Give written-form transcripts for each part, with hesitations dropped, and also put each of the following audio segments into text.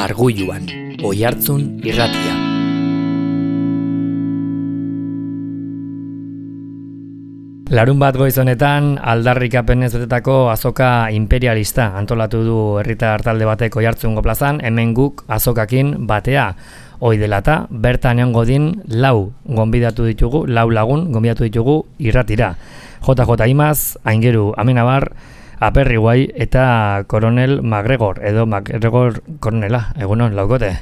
Arguluan, Oihartzun irratia. Larun bat goiz honetan, aldarrikapenez betetako azoka imperialista antolatu du herritar talde batek Oihartzungo plazan, hemen guk azokakin batea. Hoi dela eta, bertan egongo din lau lagun gonbidatu ditugu irratira. JJ Imaz, Aingeru Amenabar, Aperri Guai eta Koronel MacGregor, edo MacGregor koronela, egunon, laukote?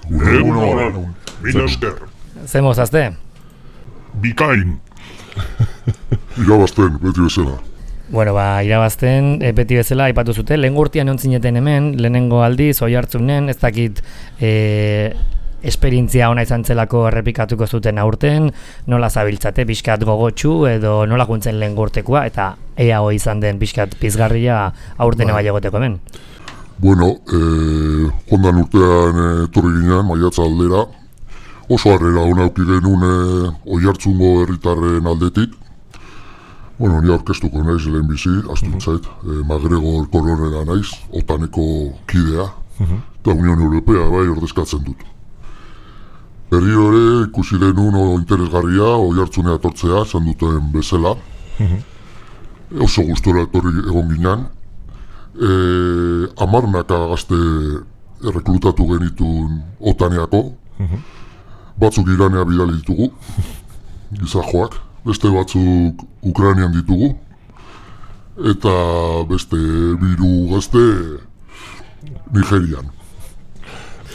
Egunon, mila esker. Zemo zazte? Bikain. Irabazten, beti bezala. Bueno, irabazten, beti bezala, aipatu zuten, lehen urtean egon hemen, lehenengo aldiz, Oihartzunen, ez dakit esperientzia ona izan zelako errepikatuko zuten aurten, nola zabiltzate, pixkat gogotsu, edo nola juntzen lehen urtekoa, eta ea hoi izan den pixkat pizgarria aurten eba egoteko hemen. Bueno, jondan urtean etorri ginen, maiatza aldera, oso harrera hona auki genuen Oihartzungo herritarren aldetik. Bueno, ni aurkeztuko naiz lehen bizi, astuntzait, MacGregor koronela naiz, OTANeko kidea, eta Unión Europea bai ordezkatzen dut. Berriro ere ikusi denun interesgarria Oihartzunea etortzea, esan duten bezala. Oso gustora etorri egon ginen. 10 gazte erreklutatu genitun OTANeako. Batzuk Iranea bidali ditugu, gizajoak. Beste batzuk Ukrainian ditugu, eta beste 3 gazte Nigerian.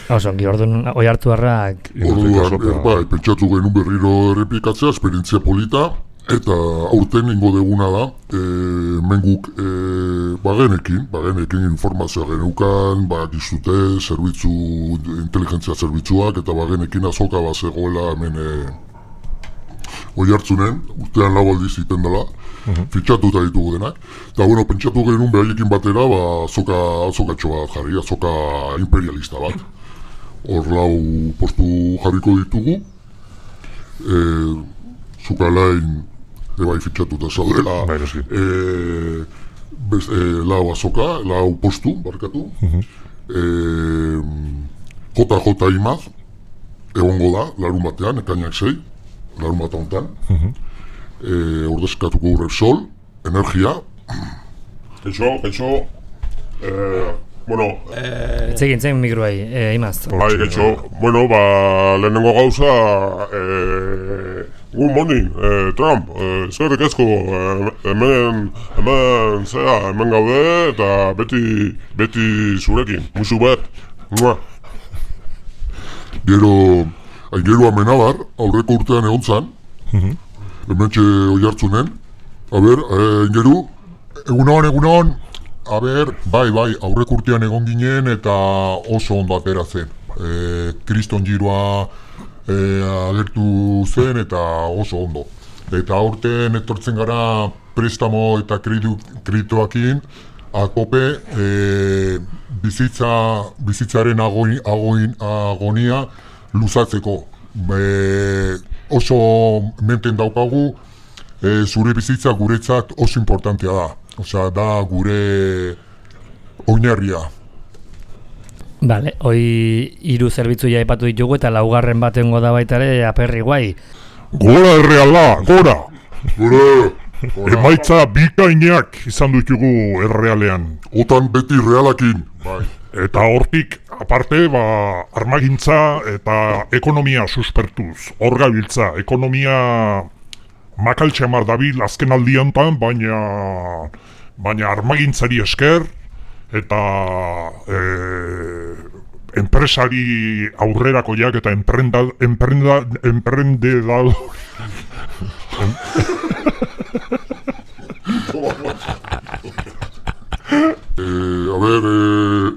Osongi, orduan Oihartzunarrak... Orduan, pentsatu genuen berriro errepikatzea, esperientzia polita, eta aurten ingo deguna da, menguk bagenekin informazioa geneukan, gizute, inteligentzia zerbitzuak, eta bagenekin azoka bazegoela hemen Oihartzunen, urtean 4 aldiz iten dela, fitxatuta ditugu denak. Eta bueno, pentsatu genuen behaiekin batera, azokatxo bat jarri, azoka imperialista bat. Hor 4 postu jarriko ditugu, Zukalain ebai fitxatuta zaudela, 4 azoka, 4 postu, barkatu. JJ Imaz, egongo da, larun batean, ekainak 6. Larun bat honetan, ordezkatuko Repsol, energia. Kaixo, bueno... Zegin mikroai, Imaz. Kaixo, bueno, lehenengo gauza, good morning, Trump, eskerrik asko, hemen gaude, eta beti zurekin, musu bat, Gero... Aingeru Amenabar, aurreko urtean egon zan, hementxe Oihartzunen. Aingeru? Egunon. Bai, aurreko urtean egon ginen eta oso ondo atera zen. Kriston giroa agertu zen eta oso ondo. Eta aurten etortzen gara prestamo eta kredituakin, akope bizitzaren agonia luzatzeko. Oso menten daukagu, zure bizitza guretzat oso importantea da. Osea, da gure oinarria. Bale, hoi 3 zerbitzu aipatu ditugu eta 4. batengo da baita ere Aperri Guai. Gora erreala, gora! Emaitza bikainak izan ditugu errealean. Otan beti realakin. Bai. Eta hortik, aparte, armagintza eta ekonomia suspertuz. Hor gabiltza, ekonomia makaltxamar dabil azken aldiantan, baina armagintzari esker, eta enpresari aurrerakoiak eta emprendedor...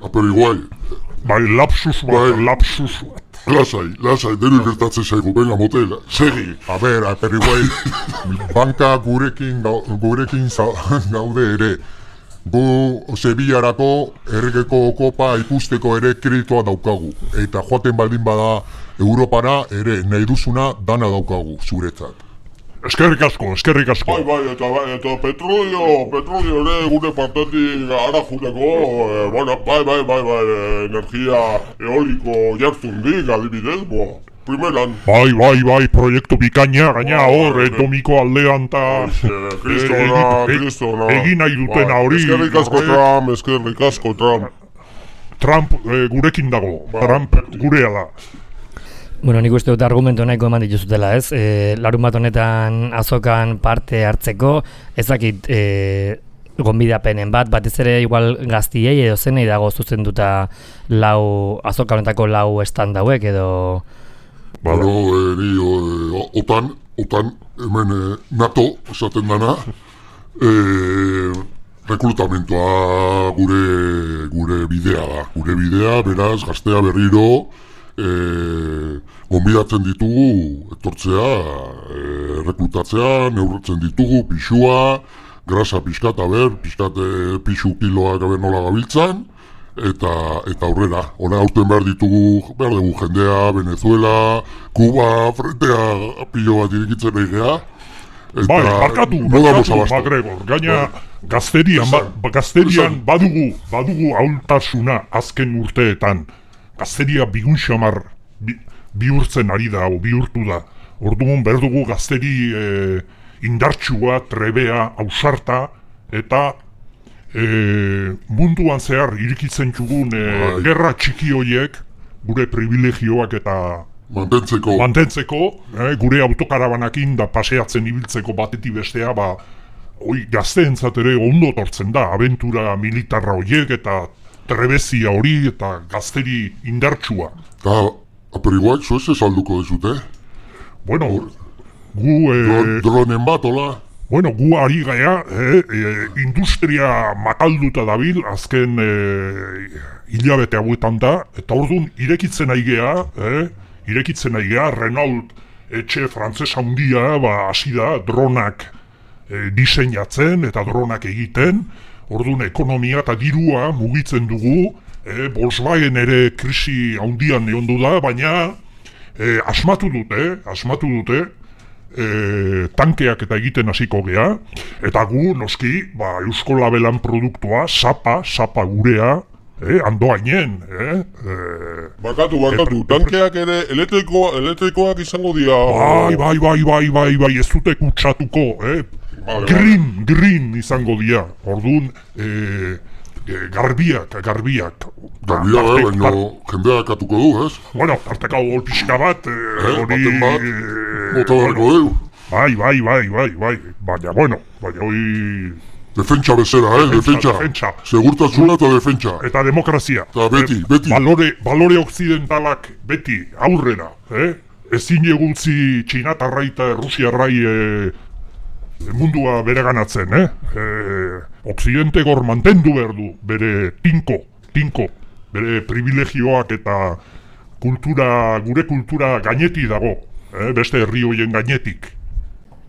Aperri Guai. Lapsus bat. Lasai, denu gertatzen zaigu, venga, motel, segi. Aperri Guai, banka gurekin gaude ere. Gu Sevillarako erregeko kopa ikusteko ere kreditua daukagu. Eta joaten baldin bada Europara ere nahi duzuna dana daukagu, zuretzat. Eskerrik asko. Bai, eta petrolio ere gure partetik ara juteko, bai, energia eoliko jartzundik, adibidez, primeran. Bai, proiektu bikaina, gaina hor, domiko aldean eta Kristona. Egin nahi dutena hori. Eskerrik asko Trump. Trump gurekin dago, Trump gurea da. Bueno, nik uste dut argumentu nahiko eman dituzutela, ez? Larun bat honetan azokan parte hartzeko, ezakit gonbidapenen batez ere igual gaztiei edo zenei dago zuzenduta azoka honetako 4 stand hauek edo... OTAN, hemen NATO, esaten dana, rekrutamentoa gure bidea da. Gure bidea, beraz, gaztea berriro, gonbidatzen ditugu, etortzea, rekrutatzea, neurtzen ditugu, pixua, grasa pixkat, pixu kiloak nola gabiltzan, eta aurrera. Aurten behar dugu jendea, Venezuela, Kuba, frentea pilo bat irikitzen egea. Bai, barkatu, Magregor, gaina gazterian badugu ahultasuna azken urteetan. Gazteria bigun xamar bihurtzen ari da, bihurtu da. Orduan berdugu gazteri indartsua, trebea, ausarta, eta munduan zehar irikitzen txugun gerra txiki horiek, gure privilegioak eta mantentzeko, gure autokarabanakin da paseatzen ibiltzeko batetik bestea, gazteentzat ere ondo tortzen da, abentura militarra horiek eta trebezia hori eta gazteri indartsua. Pero igual, zo ez salduko dezute? Bueno, dronen bat, hola? Bueno, gu ari gaia, industria makalduta dabil, azken hilabete hauetan da, eta orduan irekitzen aigea, Renault etxe frantzesa handia, hasi da, dronak diseinatzen eta dronak egiten, orduan ekonomia eta dirua mugitzen dugu, Volkswagen ere krisi handian egondu da, baina asmatu dute, tankeak eta egiten hasiko gea, eta gu, noski, Eusko Labelan produktua, sapa gurea, andoainen, Barkatu, tankeak ere elektrikoak izango dira... Bai, ez dute kutsatuko, green izango dira, orduan, garbiak. Baina jendeak atuko du, ez? Bueno, tarteka hor pixka bat, hori... Bota darko du. Bai, baina hori... Defentsa bezera, defentsa. Segurtasuna eta defentsa. Eta demokrazia. Eta beti. Balore occidentalak beti aurrera, ezin egutzi Txinatarrai eta Rusiarrai mundua bere ganatzen, Occidente gor mantendu behar du, bere tinko, bere privilegioak eta gure kultura gaineti dago, beste herri hoien gainetik.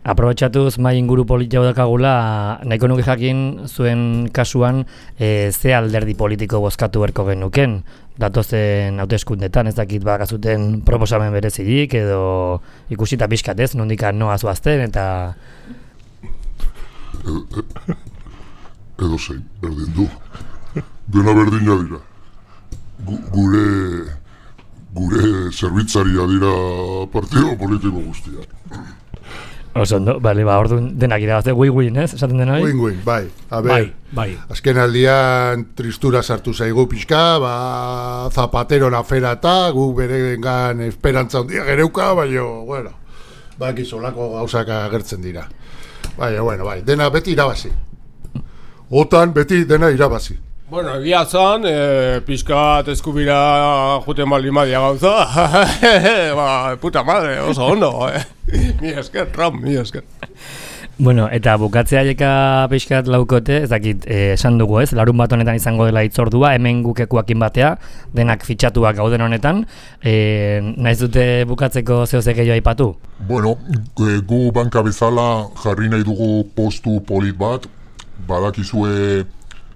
Aprobetxatuz mai inguru politiko dakagula, nahiko nuke jakin zuen kasuan ze alderdi politiko bozkatu berko genuken, datozen hauteskundetan, ez dakit bakazuten proposamen berezirik edo ikusita pixkatez, nondikan noa zuazten eta... Edo zein, berdin du. Dena berdina dira. Gure zerbitzaria dira partido politiko guztia. Oso ondo, orduan denak irabazte, win-win, ez? Esaten dena hori? Win-win, bai. Bai. Azken aldian tristura sartu zaigu pixka, Zapateron afera eta gu berengan esperantza handia gereuka, baina, solako gauzak agertzen dira. Bai, dena beti irabazi. OTAN beti dena irabazi. Bueno, egia zan, pixkat eskubira juten balimadia gauza. Puta madre, oso ondo, Mi esker, Trump, mi esker. Bueno, eta bukatzea jeka pixkat laukote, ez dakit, esan dugu ez, larun bat honetan izango dela hitzordua, hemen gukekuakin batea, denak fitxatuak gauden honetan, nahiz dute bukatzeko zehozek gehiago aipatu? Bueno, gu banka bezala jarri nahi dugu postu polit bat, badakizue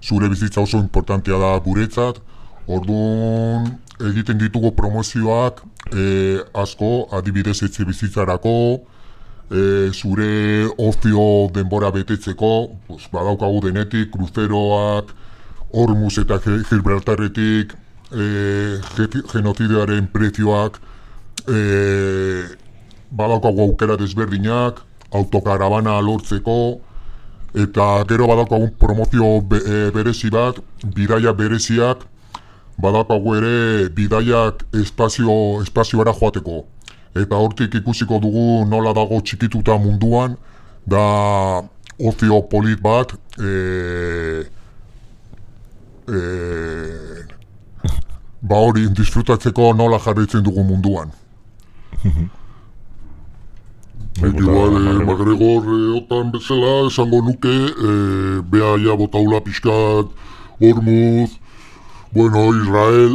zure bizitza oso importantea da guretzat, orduan egiten ditugu promozioak asko, adibidez etxe bizitzarako, zure ozio denbora betetzeko, badaukagu denetik, kruzeroak, Hormuz eta Gibraltarretik, genozidearen prezioak, badaukagu aukera desberdinak, autokaravana lortzeko, eta gero badaukagu promozio berezi bat, bidaia bereziak, badaukagu ere bidaiak espazioara joateko. Eta hortik ikusiko dugu nola dago txikituta munduan, da ozio polit bat, hori disfrutatzeko nola jarraitzen dugu munduan. MacGregor otan bezala esango nuke, bea ja botaula pixkat, Hormuz, Israel,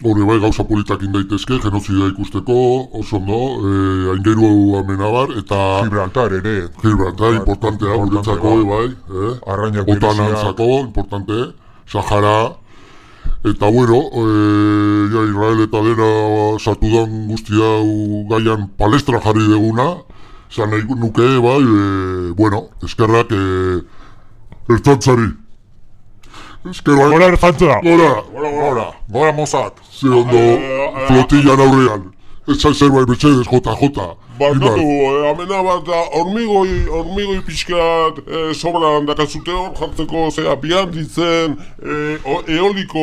hori bai gauza politak indaitezke, genozidea ikusteko, oso ondo, aingeru Amenabar, eta Gibraltar ere. Gibraltar, importantea, guretzako, bai, otanantzako, importante, Sahara, eta Israel eta dena sartudan guztia gaian palestra jarri deguna, zan nahi nuke, eskerrak ertzantzari. Gora ertzantza! Gora Mossad! Ze ondo flotillan aurrean. Ez zerbait Mercedes, JJ. Barkatu, Amenabar da hormigoi pixkat sobran dakazute hor jartzeko bian ditzen eoliko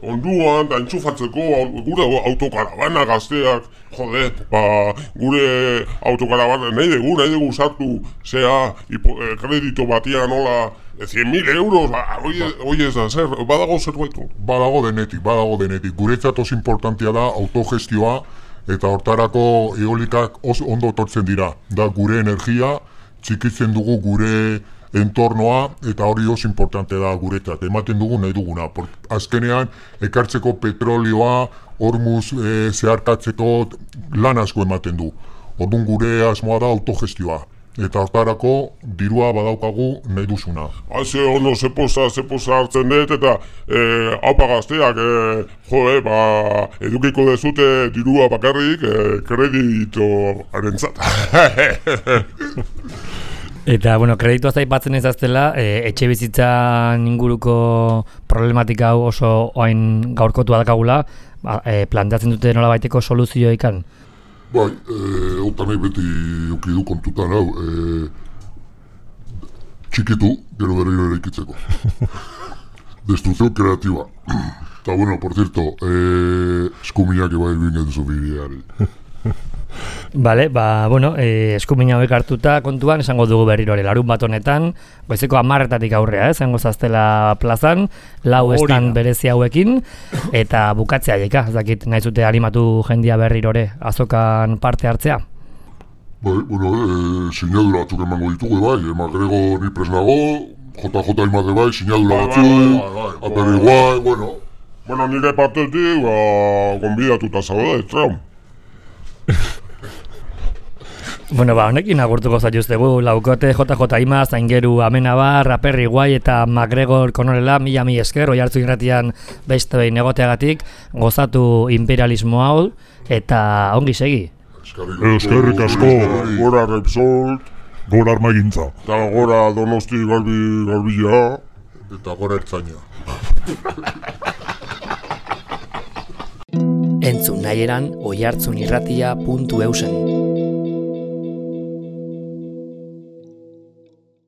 onduan da entzufatzeko gure autokaravana gazteak, gure autokaravana nahi dugu sartu kredito batian hola 100.000 euros, hoi ez da, badago zerbaitu? Badago denetik. Guretzat oso importantia da autogestioa, eta hortarako eolikak ondo etortzen dira. Da gure energia, txikitzen dugu gure entornoa, eta hori oso importante da guretzat. Ematen dugu nahi duguna. Azkenean, ekartzeko petrolioa, Hormuz zeharkatzeko lan asko ematen du. Orduan gure asmoa da autogestioa. Eta hortarako dirua badaukagu nahi duzuna. Haze ono, zepoza hartzen dut, eta haupa gazteak, edukiko dezute dirua bakarrik kredito arentzat. Eta, kreditoaz aipatzen ez aztela, etxe bizitzan inguruko problematika hau oso oain gaurkotu adakagula, planteatzen dute nola baiteko soluzioikan? Bai, nahi beti ukidu kontutan hau, txikitu, gero berriro eraikitzeko. Destruzio kreatiba. Eta por cierto, eskuminak eba ibingen zubiriari. Bale, eskumina hauek hartuta kontuan, esango dugu berriro larun bat honetan, goizeko 10:00 aurrea, esango zaztela plazan, 4 estan berezi hauekin, eta bukatzea jaika, ez dakit nahi zute animatu jendia berrirore azokan parte hartzea? Sinadura batzuk emango ditugu, MacGregor ni presnago, JJ imate sinadura batzuk, aperi guai, nire partetik, gonbidatuta zaude, Trump. Honekin agurtuko zaituztegu, laukote JJ Imaz, Aingeru Amenabar, Aperri Guai eta MacGregor Konorela, mila esker, Oihartzun irratian beste behin egoteagatik, gozatu imperialismo hau, eta ongi segi. Eskerrik asko, gora Repsol, gora Armagintza, eta gora Donosti Garbila, eta gora Ertzaina. Entzun nahieran oihartzunirratia.eusen